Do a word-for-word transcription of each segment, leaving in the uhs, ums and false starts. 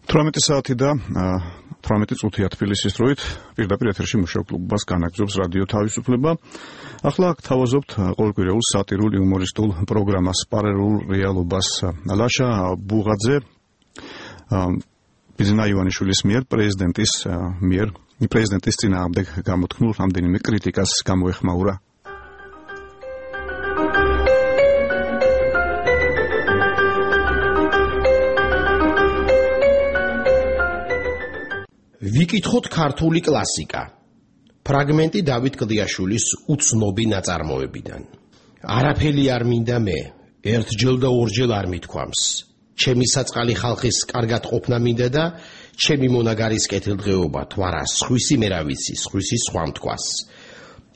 თვრამეტი საათი და თვრამეტი წუთია თბილისის დროით პირდაპირ ეთერში მუშაობ კლუბობას განაგრძობს რადიო თავისუფლება. ახლა გთავაზობთ ყოველკვირეულ სატირულ იუმორისტულ პროგრამას პარალელურ რეალობას. ლაშა ბუღაძე ბიზნა ივანიშვილის მიერ პრეზიდენტის მიერ პრეზიდენტის წინააღმდეგ გამოთქმულ რამდენიმე კრიტიკას გამოეხმაურა. ვიკითხოთ ქართული კლასიკა. ფრაგმენტი დავით კლდიაშვილის უცნობი ნაწარმოებიდან. არაფერი არ მინდა მე, ერთჯერ და ორჯერ არ მithქვამს. ჩემი საწყალი ხალხის კარგად ყოფნა მინდა და ჩემი მონაგარის კეთილდღეობა თვარა სხვისი მე რა ვიცი, სხვისი სხვა მთქვას.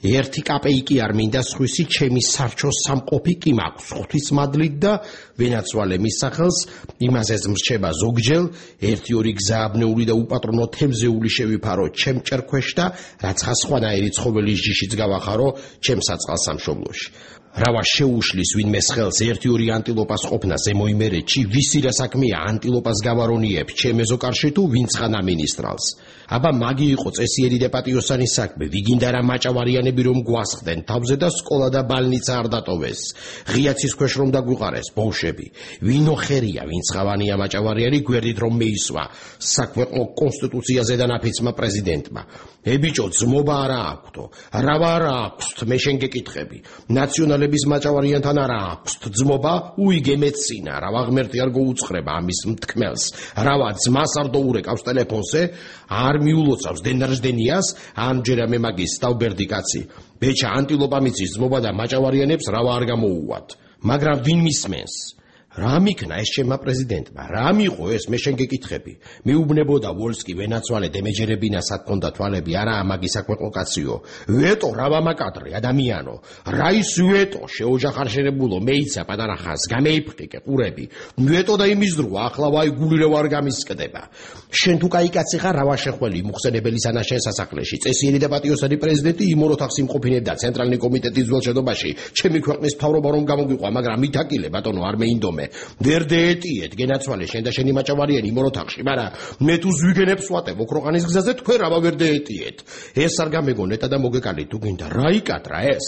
ერთი კაპეიკი არ მინდა სხვისი ჩემი სარჩო სამყოფი კი მაქვს ღვთისმადლით და ვენაცვალე მის სახელს იმასაც მრჩება ზოგჯერ ერთი ორი გზააბნეული და უპატრონო თევზეული შევიფარო ჩემ ჭერქვეშ და რაც ხასხვანაირი ცხოველის ჯიშიც გავახარო ჩემ საწყალ სამშობლოში. რავა შეუშლის ვინმეს ხელს ერთი ორი ანტილოპას ყოფნა ზემოიმერეთში ვისი რა საქმეა ანტილოპას გავარონიებ ჩემ ეზოკარში თუ ვინც ხან ამინისტრალს. აბა მაგი იყო წესიერი და პატიოსანი საქმე ვიგინდა რა მაჭავარიანები რომ გვასხდნენ თავზე და სკოლა და ბალნიცა არ დატოვეს. ღიაცის ქვეშ რომ დაგვიყარეს ბოლშები. ვინო ხერია ვინც ხავანია მაჭავარიანი გვერდით რომ მეისვა საქვეყნო კონსტიტუციაზე და ნაფიცმა პრეზიდენტმა. ე ბიჭო ძმობა არა აქვთო. რავა არა აქვთ მე შენ გეკითხები. ნაციონალების მაჭავარიანთან არა აქვთ ძმობა უიგე მეცინა რავა ღმერთი არ გოუცხრება ამის მთქმელს. რავა ძმას არ დაურეკავს ტელეფონზე არ მიულოცავს დენარჟდენიას ამჯერა მე მაგის სტავბერდი კაცი. ბეჭა ანტილოპა მიცის ძმობა და მაჭავარიანებს რავა არ გამოუვათ. მაგრამ ვინ მისმენს? რა მიქნა ეს ჩემმა პრეზიდენტმა? რა მიყო ეს მე შენ გეკითხები? მიუბნებოდა ვოლსკი ვენაცვალე დემეჯერებინა სათქონდა თვალები არა ამაგი საქვეყნო კაციო. ვეტო რავამაკადრე ადამიანო. რა ის ვეტო შეოჯახარშერებულო მეიცა პატარა ხანს გამეიფყიკე ყურები. ვეტო და იმის დრო ახლა ვაი გული რა არ გამისკდება. შენ თუ კაი კაცი ხარ რავა შეხველი მუხსენებელი სანაშენ სასახლეში წესიერი და პატიოსანი პრეზიდენტი იმ ოთახს იმყოფინებდა ცენტრალური კომიტეტის ძველ შედობაში ჩემი ქვეყნის მთავრობა რომ გამოგვიყვა მაგრამ მითაკილე ბატონო არ მეინდომე. ვერ დეეტიეთ გენაცვალე შენ და შენი მაჭავარიანი იმ ოთახში მაგრამ მე თუ ზვიგენებს ვატებ ოქროყანის გზაზე თქვენ რავა ვერ დეეტიეთ. ეს არ გამეგონეთ და მოგეკალით თუ გინდა რა იკატრა ეს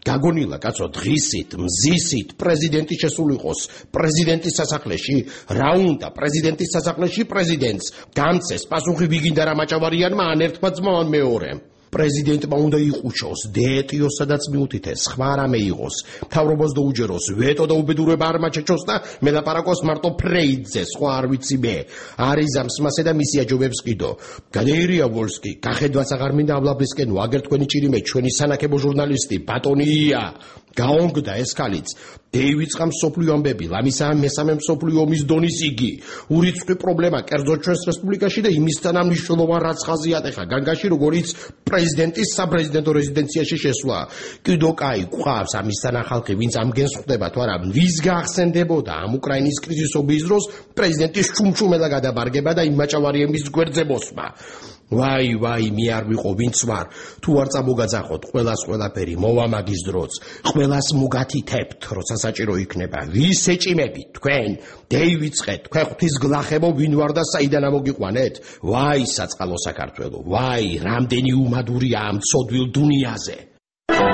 გაგონილა კაცო დღისით მზისით პრეზიდენტი შესულიყოს პრეზიდენტის სასახლეში რა უნდა პრეზიდენტის სასახლეში პრეზიდენტს გამცეს პასუხი ვიგინდა რა მაჭავარიანმა ან ერთმა ძმამ მეორემ. პრეზიდენტმა უნდა იყუჩოს დეეტიოს სადაც მიუთითეს სხვა რამე იყოს მთავრობას დაუჯეროს ვეტო და უბედურება არ მაჩეჩოს და მელაპარაკოს მარტო ფრეიდზე სხვა არ ვიცი მე არიზამს მასე და მისი აჯობებს კიდო გადაერია ვოლსკი გახედვაც აღარ მინდა აბლაბლისკენო აგერ თქვენი ჭირიმე ჩვენი სანაკებო ჟურნალისტი ბატონია გაონგდა ეს ქალიც დეივიწყა მსოფლიო ამბები ლამისა მესამე მსოფლიო ომის დონის იგი ურიცხვი პრობლემა კერძო ჩვენს რესპუბლიკაში და იმისთან ამნიშნულოვან რაც ხაზიათ ეხა განგაში როგორიც პრეზიდენტის საპრეზიდენტო რეზიდენციაში შესვლა. კიდო კაი ყავს ამისთან ახალხი ვინც ამგენს ხვდება თუ არა ვის გაახსენდებოდა ამ უკრაინის კრიზისობის დროს პრეზიდენტის ჩუმჩუმელა გადაბარგება და იმ მაჭავარიების გვერდზე მოსმა. ვაი ვაი მე არ ვიყო ვინც ვარ თუ არ წამოგაძახოთ ყველას ყველაფერი მოვა მაგის დროც ყველას მოგათითებთ როცა საჭირო იქნება ვის ეჭიმებით თქვენ დეივიწყეთ თქვენ ღვთის გლახებო ვინ ვარ და საიდან ამოგიყვანეთ ვაი საწყალო საქართველო ვაი რამდენი უმადურია ამ ცოდვილ დუნიაზე.